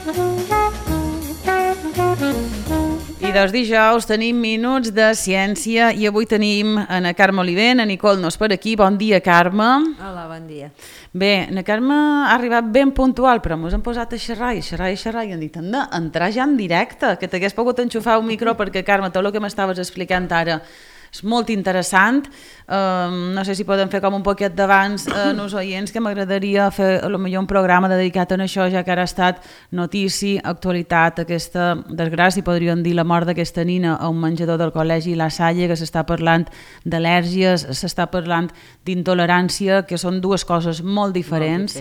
I dels dijous tenim Minuts de Ciència i avui tenim na Carme Oliver, na Nicole no és per aquí. Bon dia, Carme. Hola, bon dia. Bé, na Carme ha arribat ben puntual, però mos hem posat a xerrar i han dit, anda, entrar ja en directe, que t'hagués pogut enxufar un micro perquè, Carme, tot el que m'estaves explicant ara és molt interessant. No sé si podem fer com un poquet d'abans als oients, que m'agradaria fer potser un programa dedicat a això, ja que ara ha estat notícia, actualitat, aquesta desgràcia, podríem dir, la mort d'aquesta nina a un menjador del col·legi La Salle, que s'està parlant d'al·lèrgies, s'està parlant d'intolerància, que són dues coses molt diferents.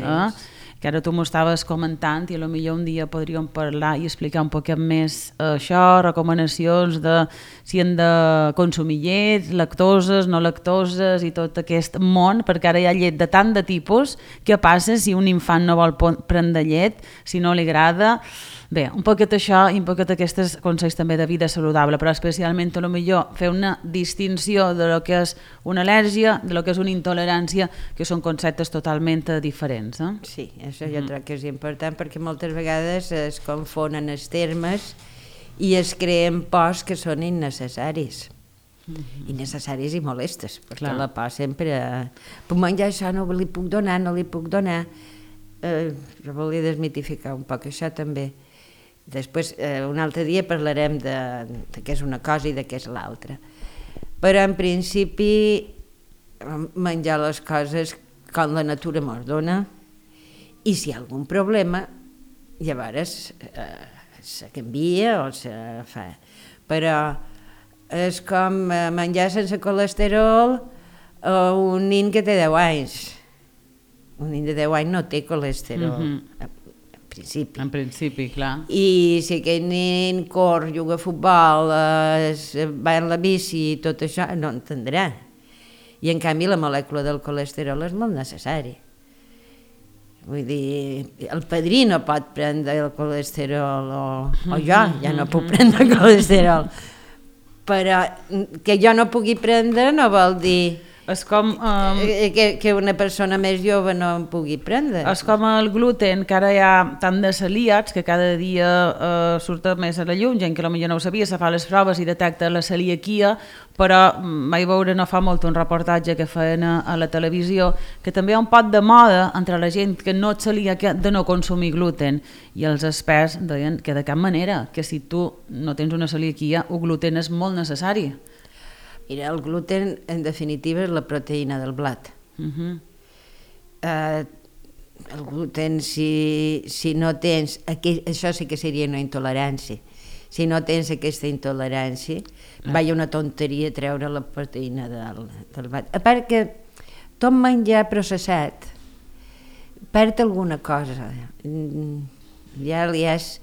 Que ara tu m'ho estaves comentant i potser un dia podríem parlar i explicar un poquet més això, recomanacions de si hem de consumir llet, lactoses, no lactoses i tot aquest món, perquè ara hi ha llet de tant de tipus. Què passa si un infant no vol prendre llet, si no li agrada? Bé, un poquet això i un poquet aquests consells també de vida saludable, però especialment potser fer una distinció de lo que és una al·lèrgia, de lo que és una intolerància, que són conceptes totalment diferents. Sí, això jo crec que és important perquè moltes vegades es confonen els termes i es creen pors que són innecessaris. Innecessaris i molestes, perquè la por sempre... Puc menjar això, no li puc donar, no li puc donar. Jo volia desmitificar un poc això també. Després, un altre dia parlarem de què és una cosa i de què és l'altra. Però en principi menjar les coses com la natura mos dona i si hi ha algun problema llavors se canvia o se fa. Però és com menjar sense colesterol o un nen que té 10 anys. Un nen de 10 anys no té colesterol. En principi, clar. I si aquell nen corre, juga a futbol, va en la bici i tot això, no entendrà. I en canvi la molècula del colesterol és molt necessari. Vull dir, el padrí no pot prendre el colesterol o jo ja no puc prendre colesterol. Però que jo no pugui prendre no vol dir... És com... que una persona més jove no en pugui prendre. És com el gluten, que ara hi ha tant de celíacs que cada dia surt més a la llum, gent que potser no ho sabia, se fa les proves i detecta la celiaquia, però vaig veure no fa molt un reportatge que feien a la televisió, que també hi ha un pot de moda entre la gent que no és celíaca de no consumir gluten, i els experts deien que de cap manera, que si tu no tens una celiaquia, el gluten és molt necessari. Mira, el gluten, en definitiva, és la proteïna del blat. El gluten, si no tens... Això sí que seria una intolerància. Si no tens aquesta intolerància, vaja una tonteria treure la proteïna del blat. A part que tot menjar processat perd alguna cosa. Ja l'has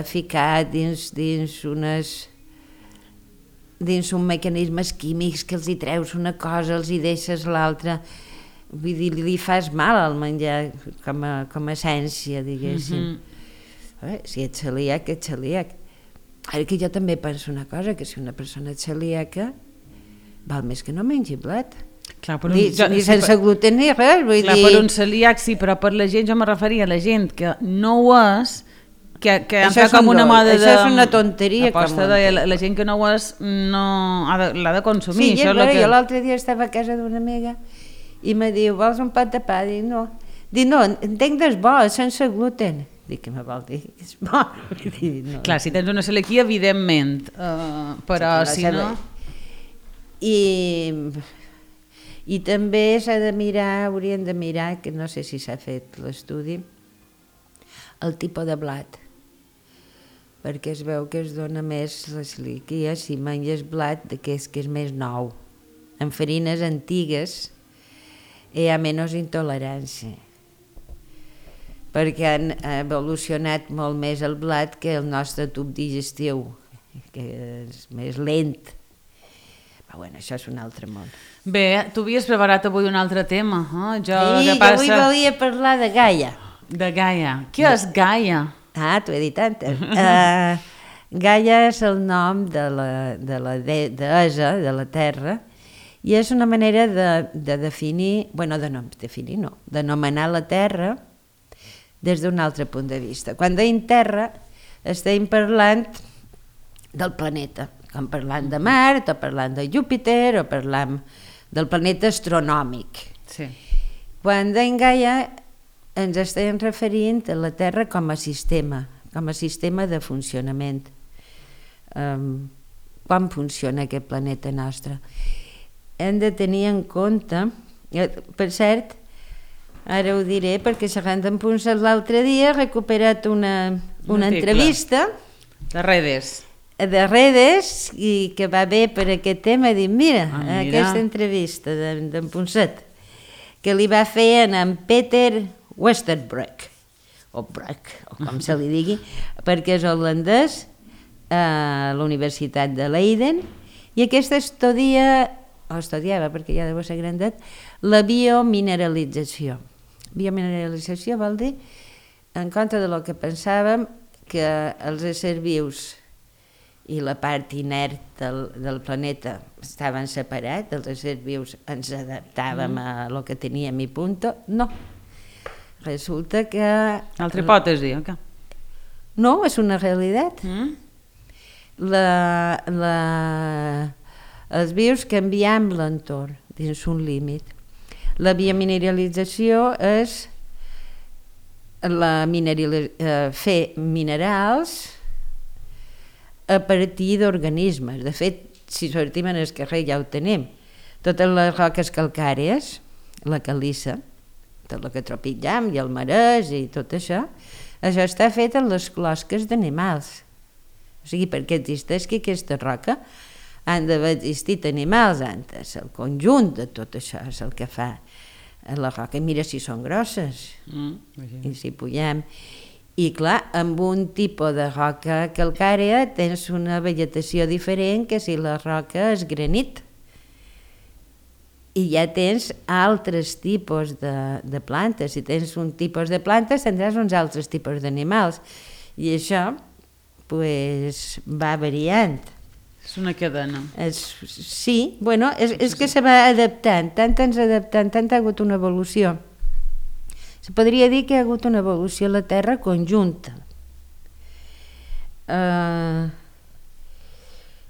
ficat dins uns mecanismes químics que els hi treus una cosa, els hi deixes l'altra, vull dir, li fas mal al menjar com a essència, diguéssim. Si ets celíac, ets celíac. Ara que jo també penso una cosa, que si una persona és celíaca, val més que no mengi blat. Ni sense gluten ni res, vull dir... Per un celíac sí, però per la gent, jo me referia a la gent que no ho és, que entra com una moda de... Això és una tonteria. La gent que no ho és l'ha de consumir. Sí, jo l'altre dia estava a casa d'una amiga i me diu, vols un pot de pa? Dic, no. Dic, no, entenc que és bo, sense gluten. Dic, què me vol dir? És bo. Clar, si tens una celiaquia, evidentment, però si no... I també hauríem de mirar, que no sé si s'ha fet l'estudi, el tipus de blat, perquè es veu que es dona més la celiaquia si menges blat d'aquest que és més nou. En farines antigues hi ha menys intolerància, perquè han evolucionat molt més el blat que el nostre tub digestiu, que és més lent. Però bueno, això és un altre món. Bé, tu havies preparat avui un altre tema. Jo avui volia parlar de Gaia. De Gaia. Què és Gaia? T'ho he dit antes. Gaia és el nom de la deessa de la Terra i és una manera de definir, bueno, de no definir, no, d'anomenar la Terra des d'un altre punt de vista. Quan deim Terra, estem parlant del planeta, com parlant de Mart, o parlant de Júpiter, o parlant del planeta astronòmic. Sí. Quan deim Gaia, ens estem referint a la Terra com a sistema de funcionament. Com funciona aquest planeta nostre? Hem de tenir en compte, per cert, ara ho diré perquè xerrant amb Punset l'altre dia he recuperat una entrevista de Redes i que va bé per aquest tema. Dic, mira, aquesta entrevista d'en Punset que li va fer en Peter Westerbroek o Broek, o com se li digui, perquè és holandès a la Universitat de Leiden, i aquesta estudiava, perquè ja deu ser grandet, la biomineralització. Biomineralització vol dir, en contra de lo que pensàvem, que els éssers vius i la part inert del planeta estaven separats, els éssers vius ens adaptàvem a lo que teníem i punto. No. Resulta que... Altra hipòtesi, o què? No, és una realitat. Els vius canviem l'entorn dins un límit. La biomineralització és fer minerals a partir d'organismes. De fet, si sortim en el carrer ja ho tenim. Totes les roques calcàries, la calissa, tot el que trepitjam i el marès i tot això està fet en les closques d'animals. O sigui, perquè existeixi aquesta roca han d'haver existit animals antes. El conjunt de tot això és el que fa la roca. I mira si són grosses i si pugem. I clar, amb un tipus de roca calcària tens una vegetació diferent que si la roca és granit. I ja tens altres tipus de plantes. Si tens un tipus de plantes tindràs uns altres tipus d'animals. I això va variant. És una cadena. Sí, bueno, és que se va adaptant, tant ha hagut una evolució. Se podria dir que hi ha hagut una evolució a la Terra conjunta.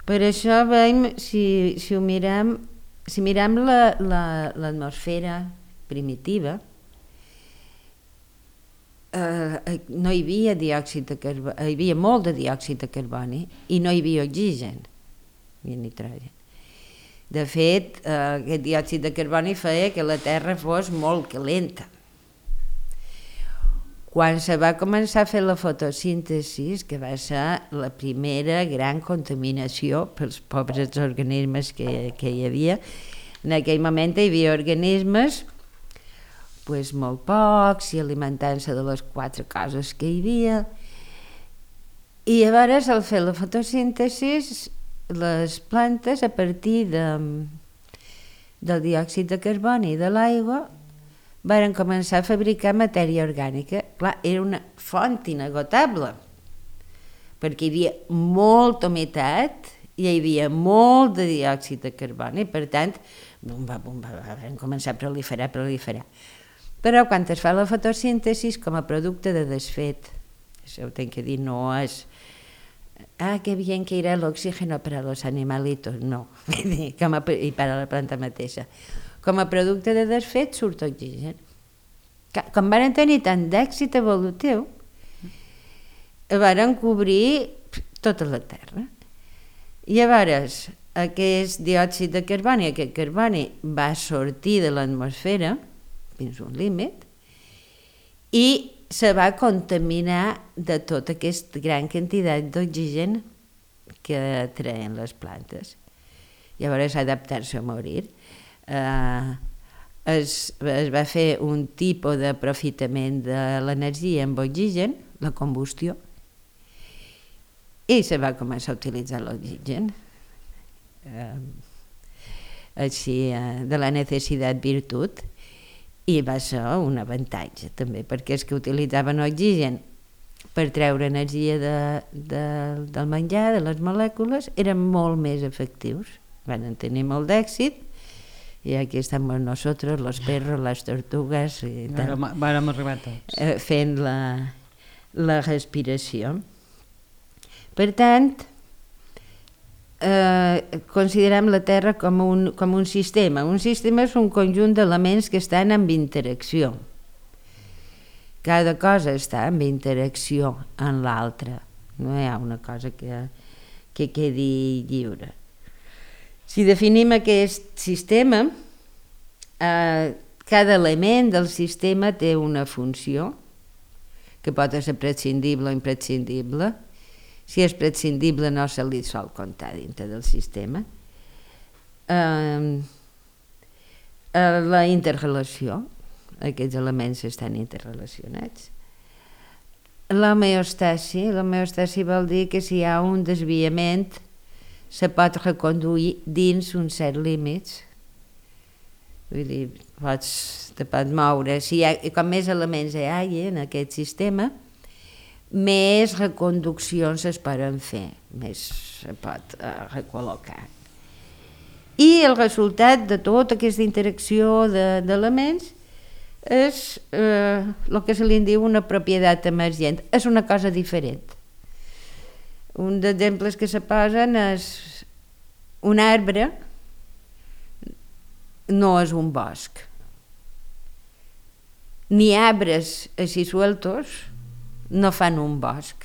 Per això veiem, si mirem l'atmosfera primitiva, no hi havia diòxid de carboni, hi havia molt de diòxid de carboni i no hi havia oxigen ni nitrogen. De fet, aquest diòxid de carboni feia que la Terra fos molt calenta. Quan se va començar a fer la fotosíntesi, que va ser la primera gran contaminació pels pobres organismes que hi havia, en aquell moment hi havia organismes molt pocs i alimentant-se de les 4 coses que hi havia. I llavors, al fer la fotosíntesi, les plantes, a partir del diòxid de carboni i de l'aigua, varen començar a fabricar matèria orgànica. Clar, era una font inagotable, perquè hi havia molta humitat i hi havia molt de diòxid de carboni, per tant, van començar a proliferar. Però quan es fa la fotosíntesi com a producte de desfet, això ho tenc que dir, no és que bien que irà l'oxígeno per a los animalitos, no, i per a la planta mateixa. Com a producte de desfet surt oxigen. Com van tenir tant d'èxit evolutiu, van cobrir tota la Terra. I llavors, aquest diòxid de carboni, aquest carboni va sortir de l'atmosfera fins a un límit i se va contaminar de tota aquesta gran quantitat d'oxigen que treien les plantes. Llavors, adaptar-se a morir. Es va fer un tipus d'aprofitament de l'energia amb oxigen, la combustió, i se va començar a utilitzar l'oxigen. Així, de la necessitat virtut, i va ser un avantatge també, perquè els que utilitzaven oxigen per treure energia del menjar, de les molècules, eren molt més efectius, van tenir molt d'èxit i aquí estamos nosotros, los perros, las tortugas, i tal, Vàrem arribar tots. fent la respiració. Per tant, considerem la Terra com un sistema. Un sistema és un conjunt d'elements que estan en interacció. Cada cosa està en interacció amb l'altra. No hi ha una cosa que quedi lliure. Si definim aquest sistema, cada element del sistema té una funció que pot ser prescindible o imprescindible. Si és prescindible no se li sol comptar dintre del sistema. La interrelació, aquests elements estan interrelacionats. L'homeòstasi vol dir que si hi ha un desviament se pot reconduir dins uns certs límits. Vull dir, te pot moure. Com més elements hi hagi en aquest sistema, més reconduccions es poden fer, més se pot recol·locar. I el resultat de tota aquesta interacció d'elements és el que se li diu una propietat emergent. És una cosa diferent. Un dels exemples que se posen és un arbre no és un bosc. Ni arbres així sueltos no fan un bosc.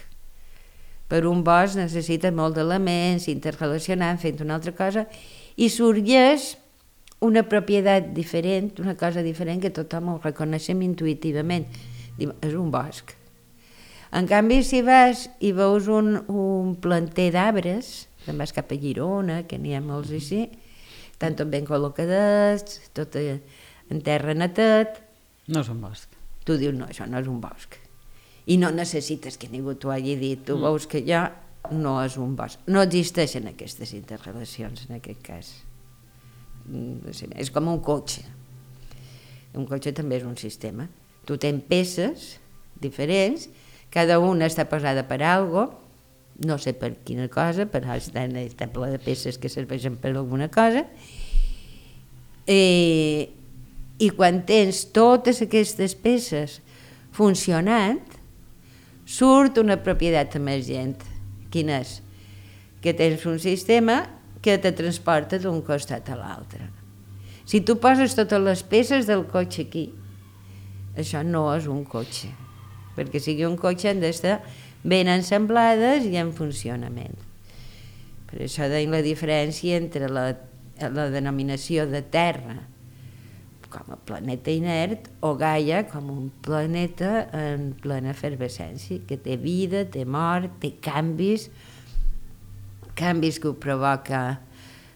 Per un bosc necessita molt d'elements, interrelacionant, fent una altra cosa, i sorgeix una propietat diferent, una cosa diferent que tothom ho reconeixem intuïtivament. Diu, és un bosc. En canvi, si vas i veus un planter d'arbres, te'n vas cap a Girona, que n'hi ha molts així, estan tot ben col·locadets, tot en terra netet. No és un bosc. Tu dius, no, això no és un bosc. I no necessites que ningú t'ho hagi dit. Tu veus que allò no és un bosc. No existeixen aquestes interrelacions en aquest cas. És com un cotxe. Un cotxe també és un sistema. Tu tens peces diferents, cada una està posada per algo, no sé per quina cosa, però està ple de peces que serveixen per alguna cosa, i quan tens totes aquestes peces funcionant, surt una propietat emergent. Quina és? Que tens un sistema que te transporta d'un costat a l'altre. Si tu poses totes les peces del cotxe aquí, això no és un cotxe. Perquè sigui un cotxe han d'estar ben ensamblades i en funcionament. Per això deim la diferència entre la denominació de Terra com a planeta inert o Gaia com un planeta en plena efervescència, que té vida, té mort, té canvis que ho provoca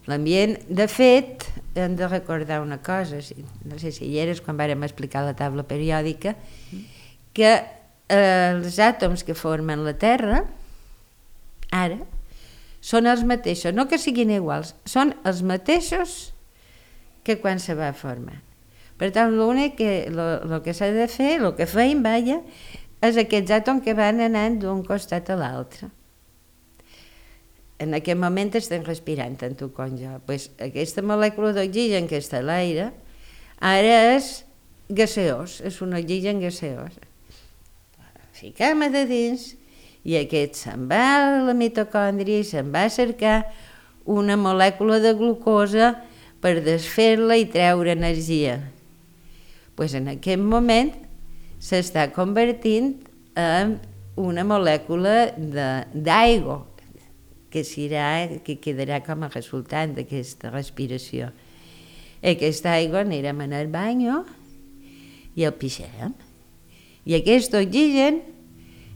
l'ambient. De fet, hem de recordar una cosa, no sé si hi eres quan vàrem explicar la taula periòdica, que els àtoms que formen la Terra, ara, són els mateixos, no que siguin iguals, són els mateixos que quan se va formar. Per tant, l'únic que s'ha de fer, el que feim, és aquests àtoms que van anant d'un costat a l'altre. En aquest moment estem respirant, tant tu com jo. Aquesta molècula d'oxigen que està a l'aire, ara és gaseós, és un oxigen gaseós. Fiquem-ho de dins i aquest se'n va a la mitocòndria i se'n va a cercar una molècula de glucosa per desfer-la i treure energia. En aquest moment s'està convertint en una molècula d'aigua que quedarà com a resultat d'aquesta respiració. Aquesta aigua anirem en el bany i el pixarem. I aquest oxigen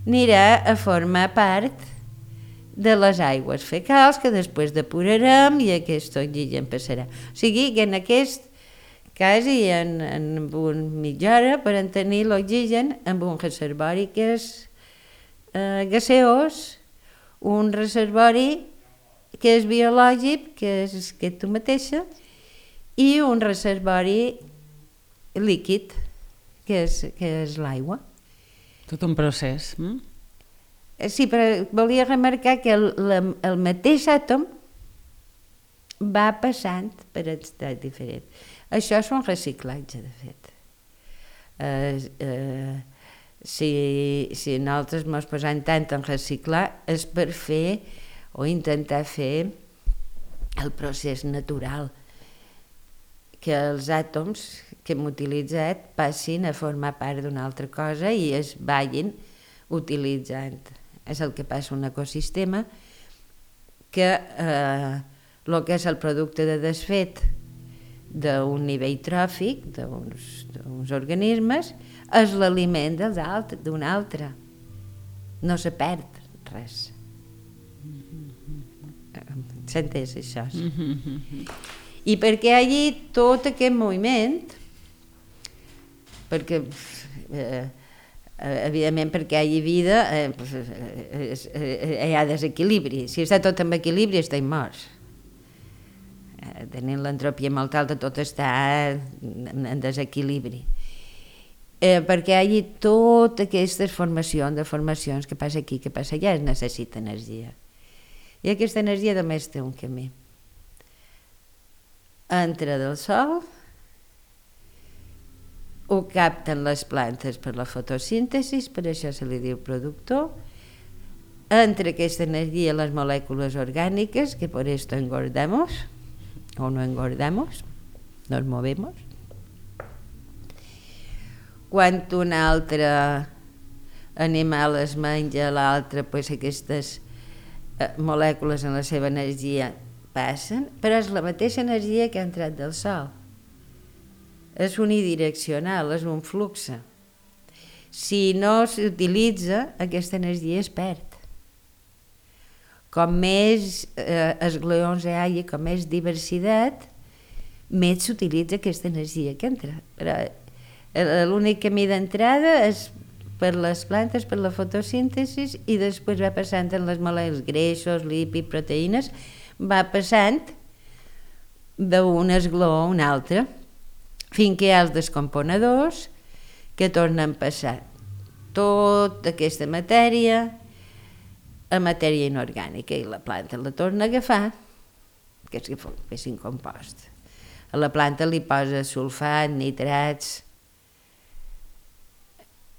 anirà a formar part de les aigües fecals que després depurarem i aquest oxigen passarà. O sigui que en aquest quasi en mitja hora podem tenir l'oxigen amb un reservori que és gaseós, un reservori que és biològic, que és tu mateixa, i un reservori líquid, que és l'aigua. Tot un procés. Sí, però volia remarcar que el mateix àtom va passant per estats diferents. Això és un reciclatge, de fet. Si nosaltres ens posem tant en reciclar és per fer o intentar fer el procés natural, que els àtoms que hem utilitzat passin a formar part d'una altra cosa i es vagin utilitzant. És el que passa en un ecosistema, que el que és el producte de desfet d'un nivell tròfic d'uns organismes és l'aliment d'un altre. No se perd res. S'ha entès això? I perquè hi hagi tot aquest moviment, perquè evidentment perquè hi hagi vida hi ha desequilibri. Si està tot en equilibri estem morts. Tenint l'entropia molt alta tot està en desequilibri. Perquè hi hagi totes aquestes formacions que passa aquí, que passa allà, es necessita energia. I aquesta energia només té un camí. Entra del sol, ho capten les plantes per la fotosíntesi, per això se li diu productor, entra aquesta energia a les molècules orgàniques, que por esto engordamos o no engordamos, nos movemos. Quan un altre animal es menja l'altre, pues aquestes molècules en la seva energia passen, però és la mateixa energia que ha entrat del sol. És unidireccional, és un flux. Si no s'utilitza, aquesta energia es perd. Com més esgleons hi hagi, com més diversitat, més s'utilitza aquesta energia que entra. Però l'únic camí d'entrada és per les plantes, per la fotosíntesi, i després va passant en les molècules, greixos, lípids, proteïnes, va passant d'un esgleó a un altre, fins que hi ha els descomponedors que tornen a passar tota aquesta matèria a matèria inorgànica i la planta la torna a agafar, que és incompost. A la planta li posa sulfat, nitrats,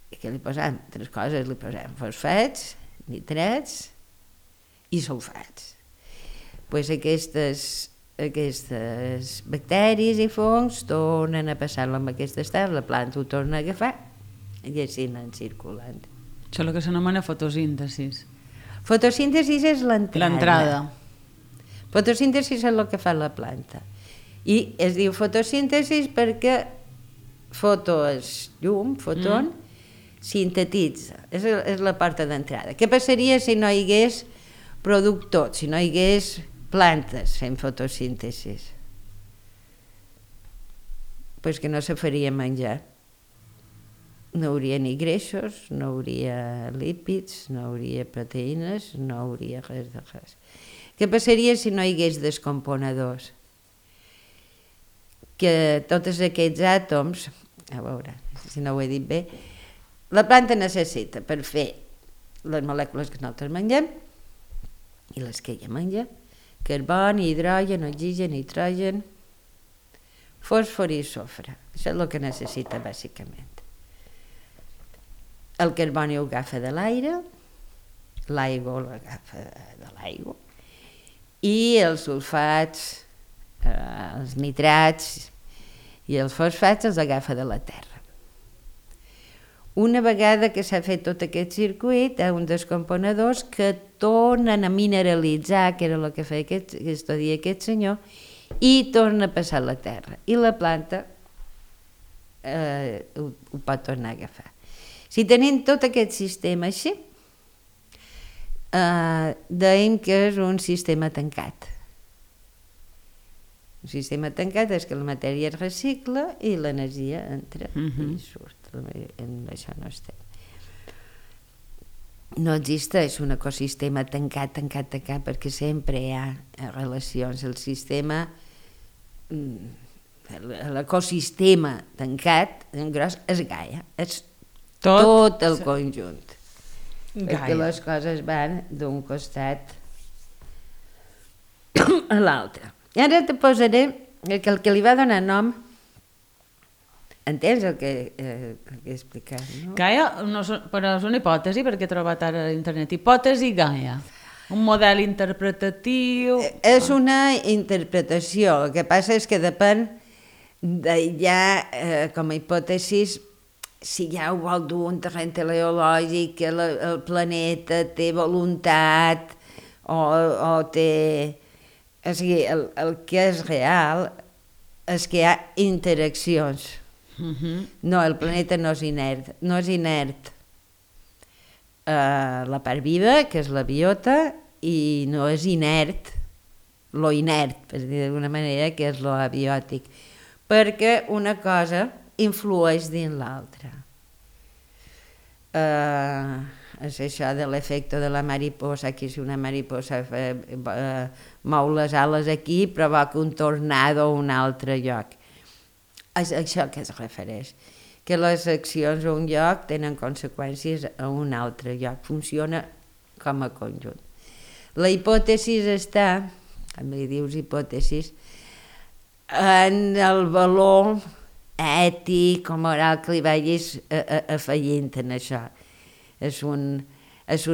i que li posem tres coses, li posem fosfats, nitrats i sulfats. Pues aquestes bacteris i fongs tornen a passar-lo amb aquest estat, la planta ho torna a agafar i així anem circulant. Això és el que s'anomena fotosíntesi. Fotosíntesi és l'entrada. Fotosíntesi és el que fa la planta. I es diu fotosíntesi perquè foto és llum, fotón, sintetitza, és la porta d'entrada. Què passaria si no hi hagués productor, si no hi hagués plantes fent fotosíntesi? Pues que no se faria menjar. No hauria ni greixos, no hauria lípids, no hauria proteïnes, no hauria res de res. Què passaria si no hi hagués descomponedors? Que tots aquests àtoms, a veure si no ho he dit bé, la planta necessita per fer les molècules que nosaltres mengem i les que ella menja, carboni, hidrogen, oxigen, nitrogen, fòsfor i sofre. Això és el que necessita bàsicament. El carboni ho agafa de l'aire, l'aigua l'agafa de l'aigua, i els sulfats, els nitrats i els fosfats els agafa de la terra. Una vegada que s'ha fet tot aquest circuit, hi ha uns descomponedors que tornen a mineralitzar, que era el que feia aquest senyor, i torna a passar a la terra. I la planta ho pot tornar a agafar. Si tenim tot aquest sistema així, dèiem que és un sistema tancat. Un sistema tancat és que la matèria es recicla i l'energia entra i surt. En això no estem. No existeix un ecosistema tancat, perquè sempre hi ha relacions. El sistema, l'ecosistema tancat, en gros, és Gaia, és tot el conjunt. Perquè les coses van d'un costat a l'altre. I ara te posaré el que li va donar nom Entens el que he explicat, no? Gaia, però és una hipòtesi, perquè he trobat ara a internet. Hipòtesi Gaia. Un model interpretatiu... És una interpretació, el que passa és que depèn com a hipòtesis, si ja ho vol dur un terreny teleològic, que el planeta té voluntat o té... O sigui, el que és real és que hi ha interaccions. No, el planeta no és inert. No és inert la part viva, que és la biota, i no és inert lo inert, per dir d'alguna manera, que és lo abiòtic. Perquè una cosa influeix dins l'altra. És això de l'efecte de la mariposa, que si una mariposa mou les ales aquí provoca un tornado a un altre lloc. És això que es refereix, que les accions a un lloc tenen conseqüències a un altre lloc, funciona com a conjunt. La hipòtesi està, com li dius hipòtesis, en el valor ètic o moral que li vagis afegint en això. És un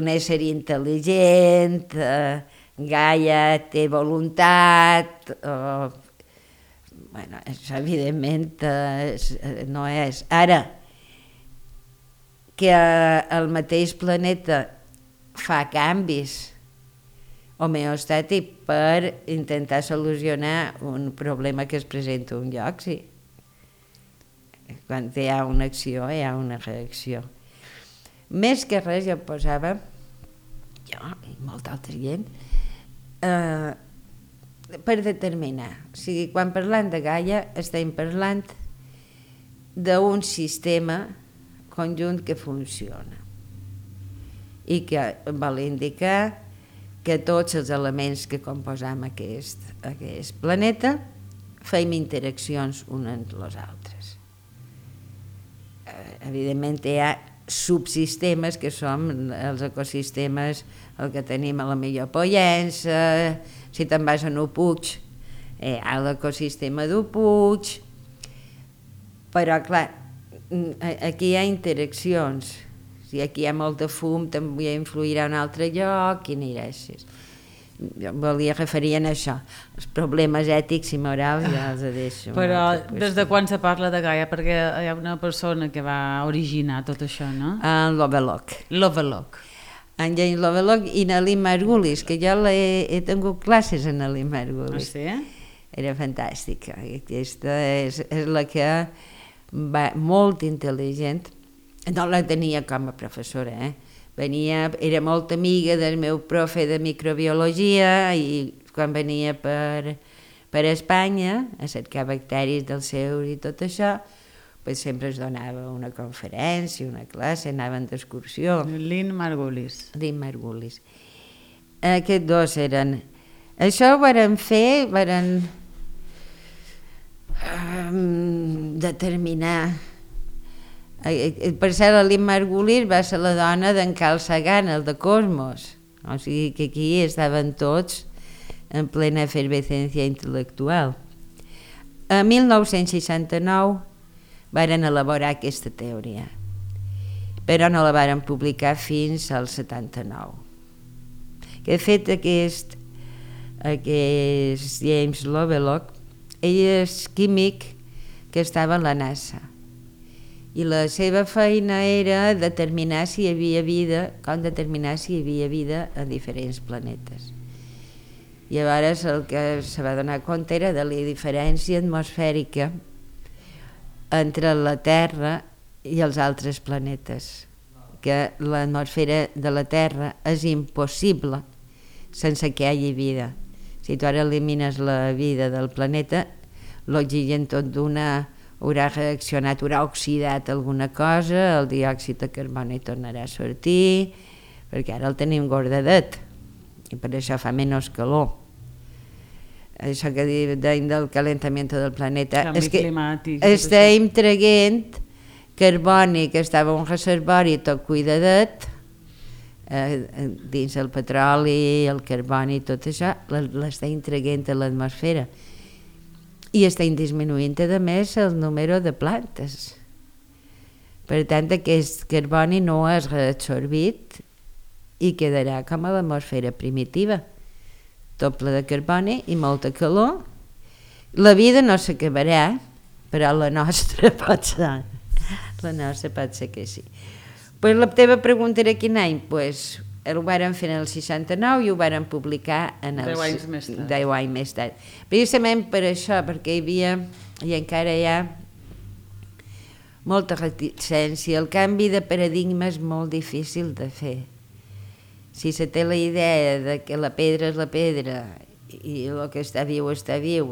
ésser intel·ligent, Gaia té voluntat, bueno, això evidentment no és. Ara, que el mateix planeta fa canvis homeostàtics per intentar solucionar un problema que es presenta a un lloc, sí. Quan hi ha una acció, hi ha una reacció. Més que res jo posava, jo i molta altra gent, per determinar. O sigui, quan parlant de Gaia estem parlant d'un sistema conjunt que funciona i que vol indicar que tots els elements que composam aquest planeta fem interaccions uns amb els altres. Evidentment hi ha subsistemes que són els ecosistemes, el que tenim a la millor Pollença, si te'n vas a un puig, hi ha l'ecosistema d'un puig, però clar, aquí hi ha interaccions, si aquí hi ha molt de fum també influirà en un altre lloc i anirà així. Jo volia referir a això, els problemes ètics i morals ja els deixo. Però des de quan se parla de Gaia? Perquè hi ha una persona que va originar tot això, no? En Lovelock. Lovelock. En James Lovelock i Nelly Margulis, que jo he tingut classes en Nelly Margulis. Ah, sí? Era fantàstica. Aquesta és la que va molt intel·ligent. No la tenia com a professora, era molt amiga del meu profe de microbiologia i quan venia per Espanya a cercar bacteris dels seus i tot això, sempre es donava una conferència, una classe, anaven d'excursió. Lynn Margulis. Lynn Margulis. Aquests dos eren... Això ho varen fer, varen determinar... Per ser la Lynn Margulis va ser la dona d'en Carl Sagan, el de Cosmos. O sigui que aquí estaven tots en plena efervescència intel·lectual. A 1969 varen elaborar aquesta teoria, però no la varen publicar fins al 79. Que de fet aquest James Lovelock, ell és químic que estava a la NASA i la seva feina era determinar si hi havia vida, com determinar si hi havia vida a diferents planetes. Llavors el que se va donar compte era de la diferència atmosfèrica entre la Terra i els altres planetes, que l'atmosfera de la Terra és impossible sense que hi hagi vida. Si tu ara elimines la vida del planeta, l'oxigen tot d'una haurà reaccionat, haurà oxidat alguna cosa, el diòxid de carboni tornarà a sortir, perquè ara el tenim gordadet i per això fa menys calor. Això que deim del calentament del planeta és que estem traient carboni que estava en un reservori tot cuidadet dins el petroli, el carboni i tot això l'estem traient a l'atmosfera. i estem disminuint a més el número de plantes. Per tant, aquest carboni no és reabsorbit i quedarà com a l'atmosfera primitiva, doble de carboni i molta calor. La vida no s'acabarà, però la nostra pot ser. La nostra pot ser que sí. Pues la teva pregunta era quin any? Pues ho varen fer en el 69 i ho varen publicar en 10 anys més tard. 10 anys més tard. Precisament per això, perquè hi havia, i encara hi ha, molta reticència. El canvi de paradigma és molt difícil de fer. Si se té la idea de que la pedra és la pedra i el que està viu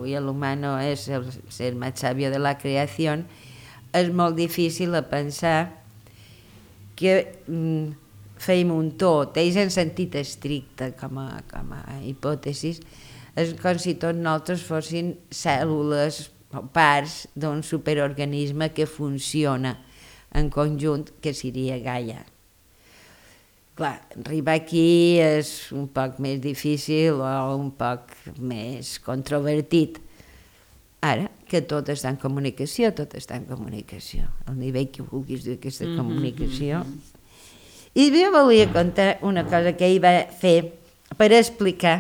i l'humano és el ser más sabio de la creació, és molt difícil a pensar que feim un tot. Ells en sentit estricte com a hipòtesis, és com si tots nosaltres fossin cèl·lules o parts d'un superorganisme que funciona en conjunt, que seria Gaia. Clar, arribar aquí és un poc més difícil o un poc més controvertit. Ara, que tot està en comunicació, tot està en comunicació. Al nivell que vulguis dir aquesta comunicació. I jo volia contar una cosa que ell va fer per explicar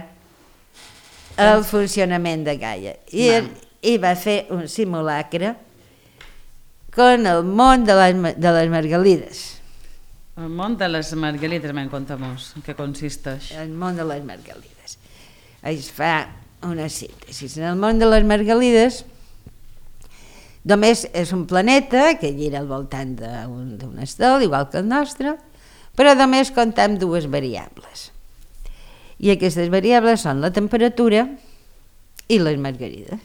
el funcionament de Gaia. I va fer un simulacre con el món de les Margalides. El món de les Margalides, me'n conta-mos, en què consisteix? El món de les Margalides. Es fa una síntesi. En el món de les Margalides només és un planeta que gira al voltant d'un estel, igual que el nostre, però només comptem dues variables. I aquestes variables són la temperatura i les margarides.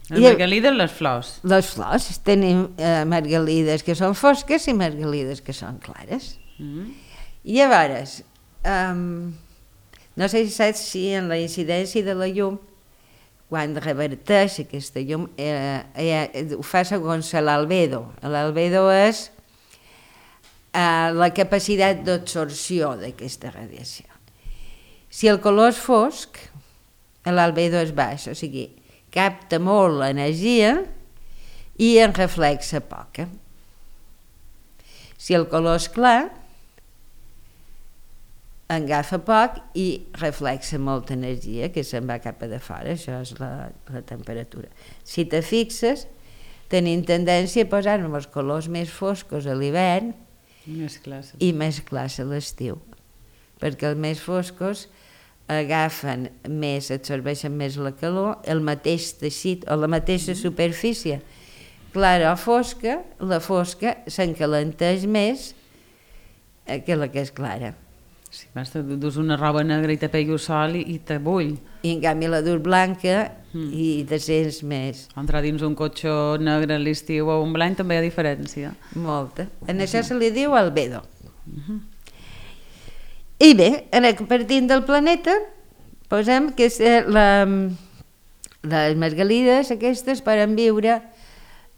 Les margalides, les flors. Les flors. Tenim margalides que són fosques i margalides que són clares. I llavors, no sé si saps si en la incidència de la llum, quan reverteix aquesta llum, ho fa segons l'albedo. L'albedo és la capacitat d'absorció d'aquesta radiació. Si el color és fosc, l'albedo és baix, o sigui, capta molt l'energia i en reflexa poca. Si el color és clar, agafa poc i reflexa molta energia que se'n va cap a de fora, això és la temperatura. Si te fixes, tenim tendència a posar-nos els colors més foscos a l'hivern i més clars a l'estiu, perquè els més foscos agafen més, absorbeixen més la calor, el mateix teixit o la mateixa superfície clara o fosca, la fosca s'encalenteix més que la que és clara. Sí, dus una roba negra i te pegui el sol i te bull. I en canvi la dur blanca i te sents més. Entrar dins un cotxe negre a l'estiu o un blanc també hi ha diferència. Molta. En això se li diu albedo. I bé, partint del planeta, posem que les margalides aquestes poden viure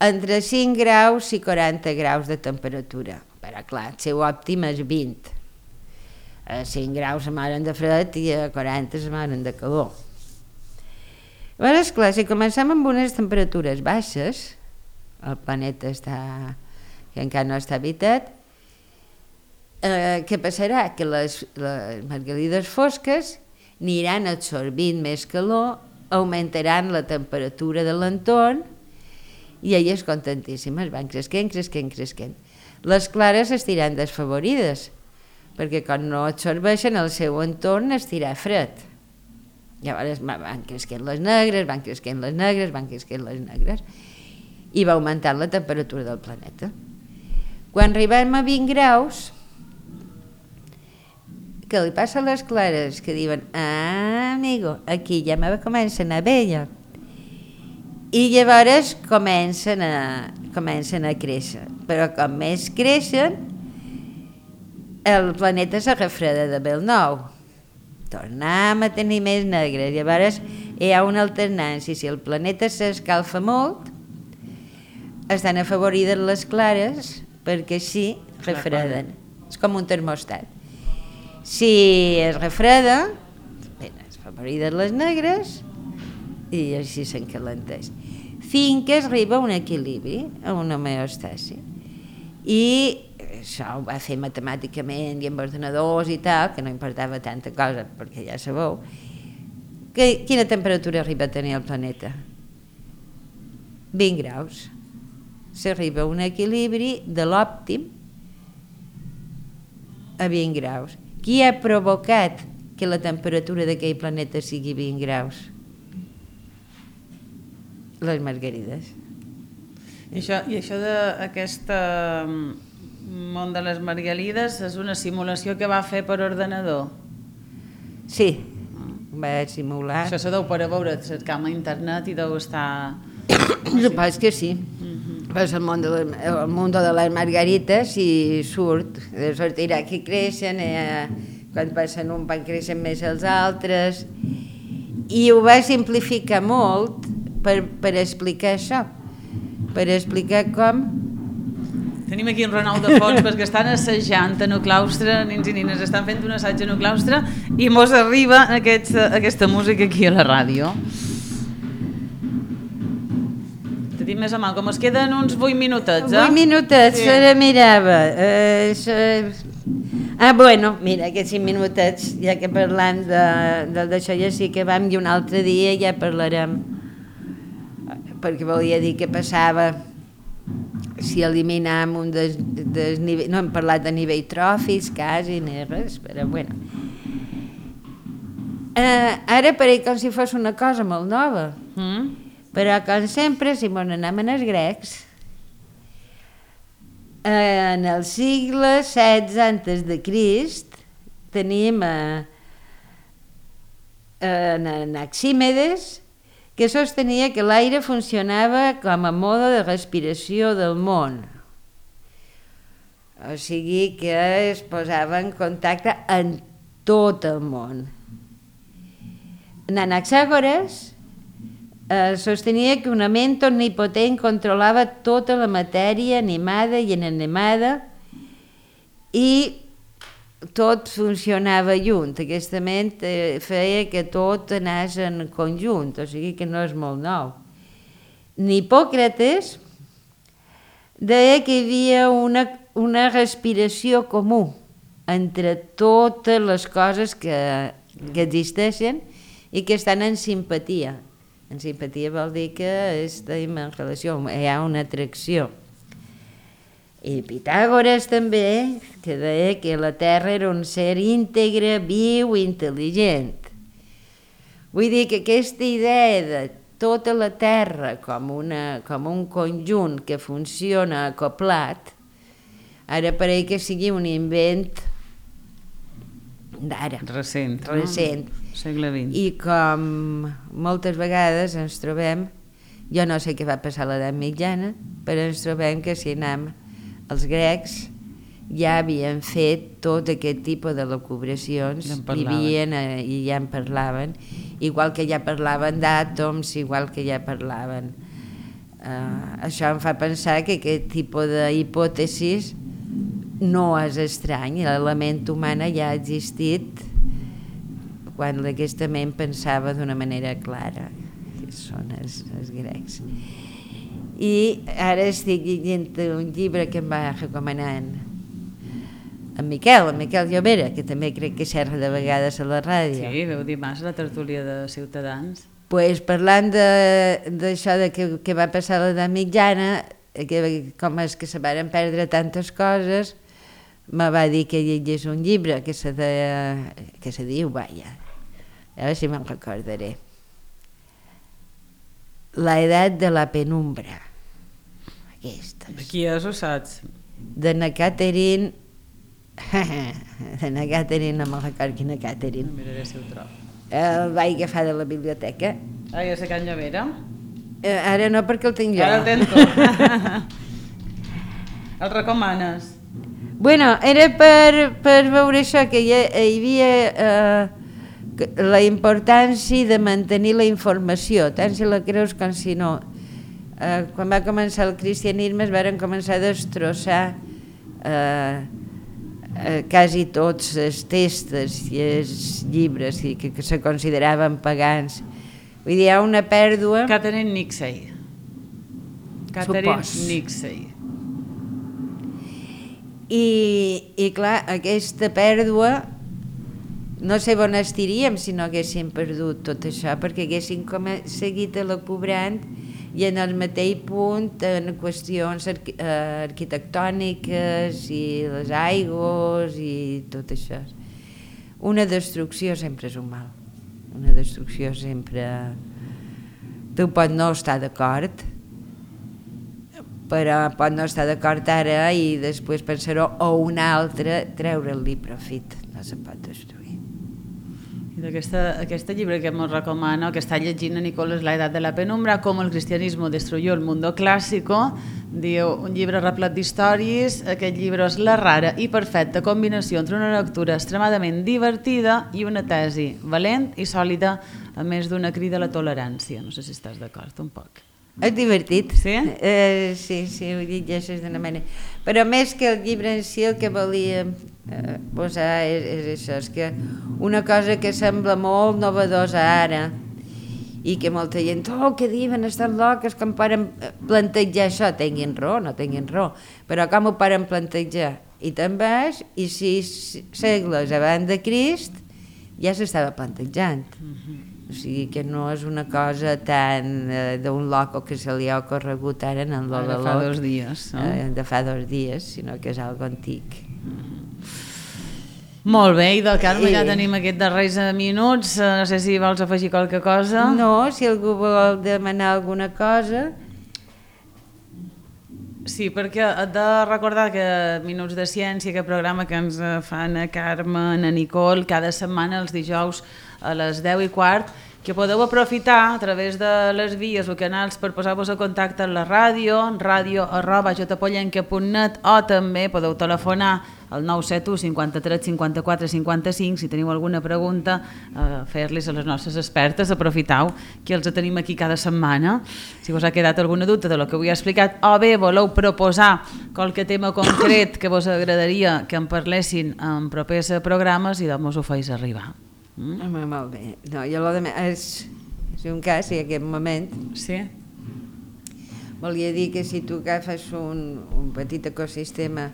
entre 5 graus i 40 graus de temperatura. Però clar, el seu òptim és 20. A 5 graus se moren de fred i a 40 se moren de calor. Llavors, clar, si comencem amb unes temperatures baixes, el planeta que encara no està habitat, què passarà? Que les margalides fosques aniran absorbint més calor, augmentaran la temperatura de l'entorn i elles contentíssimes, van creixent. Les clares estiran desfavorides, perquè quan no absorbeixen el seu entorn estirà fred. Llavors van creixent les negres i va augmentant la temperatura del planeta. Quan arribem a 20 graus, què li passa a les clares? Que diuen, amigo, aquí ja me comença a anar bé ja. I llavors comencen a créixer. Però com més creixen, el planeta se refreda de bel nou. Tornem a tenir més negres. Llavors hi ha una alternància. Si el planeta s'escalfa molt, estan afavorides les clares perquè així refreden. És com un termostat. Si es refreda, es afavorides les negres i així s'encalenteix. Fins que es arriba a un equilibri, a una homeòstasi. I això ho va fer matemàticament i amb ordenadors i tal, que no importava tanta cosa, perquè ja sabeu, quina temperatura arriba a tenir el planeta? 20 graus. S'arriba a un equilibri de l'òptim a 20 graus. Qui ha provocat que la temperatura d'aquell planeta sigui 20 graus? Les margarides. I això d'aquest món de les margarides és una simulació que va fer per ordenador? Sí, va simular. Això se deu per a veure, cercam a internet i deu estar... Suposo que sí. Pues el món de les margarites i sortirà que creixen, quan passen un van creixen més els altres, i ho va simplificar molt per explicar això, per explicar com... Tenim aquí en Ronald de fons perquè estan assajant en el claustre, nens i nines estan fent un assaig en el claustre i mos arriba aquesta música aquí a la ràdio. Te dic més a mà, com es queden uns 8 minutets, 8 minutets, sí. Ara mirava. Bueno, mira, aquests 5 minutets, ja que parlant d'això ja sí que vam, i un altre dia ja parlarem, perquè volia dir què passava si eliminam un desnivell, no hem parlat de nivell tròfics, quasi, ni res, però bueno. Ara pareix com si fos una cosa molt nova, però com sempre, si mos n'anem als grecs, en el segle XVI antes de Crist tenim Anaxímedes, que sostenia que l'aire funcionava com a mode de respiració del món. O sigui que es posava en contacte amb tot el món. Anaxàgores sostenia que una ment omnipotent controlava tota la matèria animada i inanimada i tot funcionava junt. Aquesta ment feia que tot anés en conjunt, o sigui que no és molt nou. Hipòcrates deia que hi havia una respiració comú entre totes les coses que existeixen i que estan en simpatia. En simpatia vol dir que estem en relació, hi ha una atracció. I Pitàgores també, que deia que la Terra era un ser íntegre, viu i intel·ligent. Vull dir que aquesta idea de tota la Terra com un conjunt que funciona acoplat, ara pareix que sigui un invent d'ara. Recent. Segle XX. I com moltes vegades ens trobem, jo no sé què va passar a l'edat mitjana, però ens trobem que si anem els grecs ja havien fet tot aquest tipus de locubracions, vivien i ja en parlaven, igual que ja parlaven d'àtoms, igual que ja parlaven. Això em fa pensar que aquest tipus d'hipòtesis no és estrany, l'element humana ja ha existit quan aquesta ment pensava d'una manera clara, que són els grecs. I ara estic llegint un llibre que em va recomanar en Miquel Llobera, que també crec que xerra de vegades a la ràdio. Sí, veu dimarts a la tertúlia de Ciutadans. Pues parlant d'això que va passar a l'edat mitjana, com és que se varen perdre tantes coses, me va dir que llegís un llibre que se diu, vaja, a veure si me'n recordaré, La edat de la penumbra. Aquesta. De qui és, ho saps? De na Catherine... de na Catherine, no me'n recordo quina Catherine. Miraré si ho trobo. El vaig agafar de la biblioteca. Ja sé Can Llavera? Ara no, perquè el tinc jo. Ara el tens tu. El recomanes? Bueno, era per veure això, que hi havia la importància de mantenir la informació, tant si la creus com si no. Quan va començar el cristianisme es van començar a destrossar quasi tots els textos i els llibres que se consideraven pagans. Vull dir, hi ha una pèrdua... Catherine Nixey. I clar, aquesta pèrdua no sé on estiríem si no haguéssim perdut tot això, perquè haguéssim seguit elucubrant i en el mateix punt en qüestions arquitectòniques i les aigües i tot això. Una destrucció sempre és un mal. Una destrucció sempre... Tu pots no estar d'acord, però pot no estar d'acord ara i després pensar-ho o un altre treure-li profit. No se pot destruir. I d'aquest llibre que ens recomano, que està llegint a Nicolás La Edad de la Penumbra, com el cristianismo destruyó el mundo clásico, diu, un llibre replet d'històries. Aquest llibre és la rara i perfecta combinació entre una lectura extremadament divertida i una tesi valent i sòlida, a més d'una crida a la tolerància. No sé si estàs d'acord un poc. És divertit. Sí? Sí, ho llegeixes d'una manera. Però més que el llibre en si, el que volia posar és això, és que una cosa que sembla molt novedosa ara i que molta gent, que diuen, estan loques, com poden plantejar això, tinguin raó, no tinguin raó, però com ho poden plantejar? I també, i 6 segles abans de Crist, ja s'estava plantejant. O sigui que no és una cosa tan d'un loco que se li ha ocorregut ara en el de fa 2 dies. De fa 2 dies, sinó que és algo antic. Molt bé, i del Carme ja tenim aquests darrers minuts. No sé si vols afegir qualque cosa. No, si algú vol demanar alguna cosa... Sí, perquè he de recordar que Minuts de Ciència, aquest programa que ens fan a Carme, a Nicole, cada setmana els dijous a les 10:15, que podeu aprofitar a través de les vies o canals per posar-vos a contacte amb la ràdio, radio@jpollenca.net, o també podeu telefonar al 971 53 54 55 si teniu alguna pregunta, fer-les a les nostres expertes. Aprofitau que els tenim aquí cada setmana. Si us ha quedat alguna dubte de lo que avui he explicat, o bé voleu proposar qualque tema concret que vos agradaria que en parlessin en propers programes, i doncs us ho feis arribar. Molt bé. No, jo és un cas, i en aquest moment... Sí? Volia dir que si tu agafes un petit ecosistema,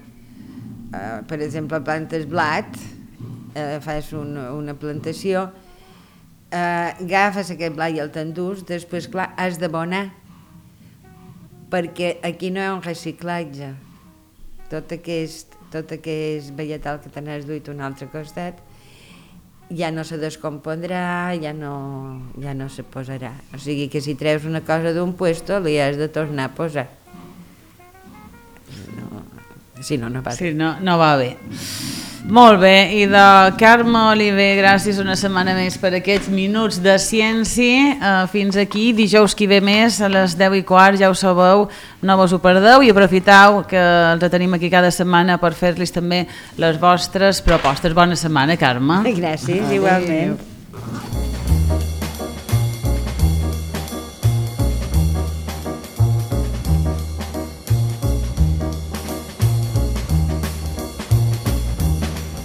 per exemple, plantes blat, fas una plantació, agafes aquest blat i el t'endús, després, clar, has d'abonar, perquè aquí no hi ha un reciclatge. Tot aquest vegetal que te n'has duit a un altre costat ja no se descompondrà, ja no se posarà. O sigui que si treus una cosa d'un puesto li has de tornar a posar. Si no, no va bé. Sí, no va bé. Molt bé, i de Carme Oliver, gràcies una setmana més per aquests Minuts de Ciència. Fins aquí, dijous que ve més a les 10:15, ja ho sabeu, no vos ho perdeu, i aprofitau que els tenim aquí cada setmana per fer-los també les vostres propostes. Bona setmana, Carme. Gràcies, igualment.